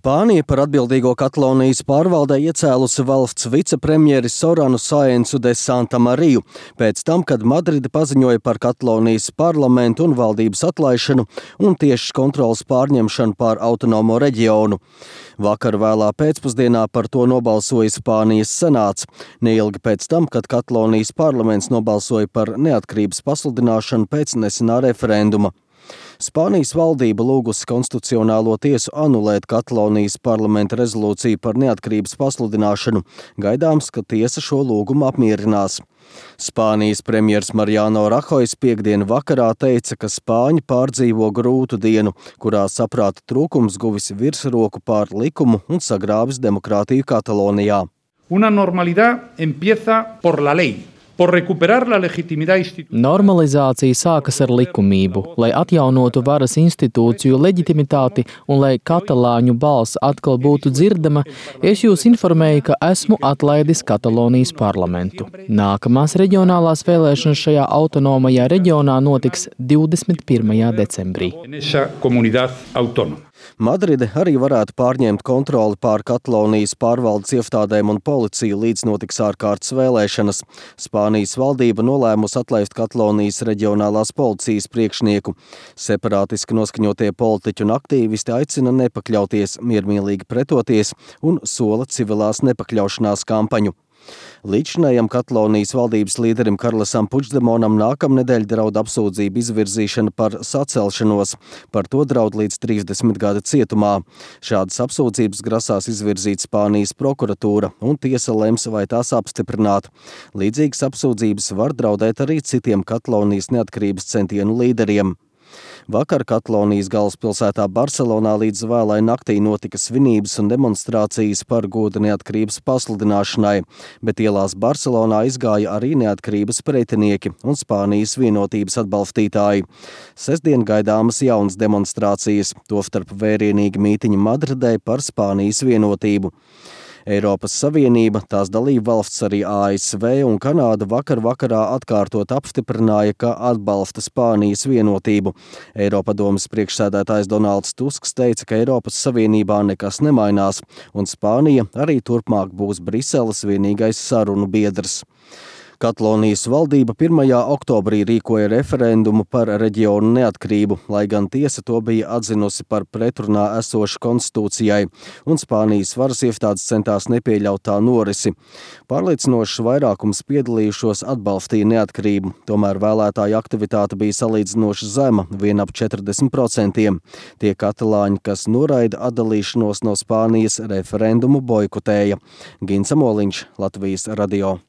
Spānija par atbildīgo Katalonijas pārvaldē iecēlusi valsts vicepremjeri Soranu Sáensu de Santamariju, pēc tam, kad Madride paziņoja par Katalonijas parlamentu un valdības atlaišanu un tiešas kontrolas pārņemšanu pār autonomo reģionu. Vakar vēlā pēcpusdienā par to nobalsoja Spānijas senāts, neilgi pēc tam, kad Katalonijas parlaments nobalsoja par neatkarības pasludināšanu pēc nesenā referenduma. Spānijas valdība lūgusi konstitucionālo tiesu anulēt Katalonijas parlamenta rezolūciju par neatkarības pasludināšanu. Gaidāms, ka tiesa šo lūgumu apmierinās. Spānijas premjers Mariano Rahojs piekdienu vakarā teica, ka Spāņi pārdzīvo grūtu dienu, kurā saprāta trūkums guvis virsroku pār likumu un sagrāvis demokrātiju Katalonijā. Una normalidad empieza por la ley. Normalizācija sākas ar likumību, lai atjaunotu varas institūciju leģitimitāti un lai katalāņu balss atkal būtu dzirdama, es jūs informēju, ka esmu atlaidis Katalonijas parlamentu. Nākamās reģionālās vēlēšanas šajā autonomajā reģionā notiks 21. decembrī. Madride arī varētu pārņemt kontroli pār Katalonijas pārvaldes iestādēm un policiju, līdz notiks ārkārtas vēlēšanas. Spānijas valdība nolēmusi atlaist Katalonijas reģionālās policijas priekšnieku. Separātiski noskaņotie politiķi un aktīvisti aicina nepakļauties, miermīlīgi pretoties un sola civilās nepakļaušanās kampaņu. Līdzinājam Katalonijas valdības līderim Karlesam Puigdemonam nākamnedēļ draud apsūdzību izvirzīšana par sacelšanos. Par to draud līdz 30 gada cietumā. Šādas apsūdzības grasās izvirzīt Spānijas prokuratūra, un tiesa lems, vai tās apstiprināt. Līdzīgas apsūdzības var draudēt arī citiem Katalonijas neatkarības centienu līderiem. Vakar Katalonijas galvaspilsētā Barcelonā līdz vēlai naktī notika svinības un demonstrācijas par goda neatkarības pasludināšanai, bet ielās Barcelonā izgāja arī neatkarības pretinieki un Spānijas vienotības atbalstītāji. Sestdien gaidāmas jaunas demonstrācijas, tostarp vērienīgi mītiņi Madridē par Spānijas vienotību. Eiropas Savienība, tās dalība valsts arī ASV un Kanāda vakarā atkārtot apstiprināja, ka atbalsta Spānijas vienotību. Eiropadomes priekšsēdētājs Donalds Tusks teica, ka Eiropas Savienībā nekas nemainās, un Spānija arī turpmāk būs Briseles vienīgais sarunu biedrs. Katalonijas valdība 1. oktobrī rīkoja referendumu par reģionu neatkarību, lai gan tiesa to bija atzinusi par pretrunā esošu konstitūcijai, un Spānijas varas iestādes centās nepieļaut tā norisi. Pārliecinošs vairākums piedalījušos atbalstīja neatkarību, tomēr vēlētāju aktivitāte bija salīdzinoši zema, vien ap 40%. Tie katalāņi, kas noraida atdalīšanos no Spānijas, referendumu boikotēja. Gins Amoliņš, Latvijas radio.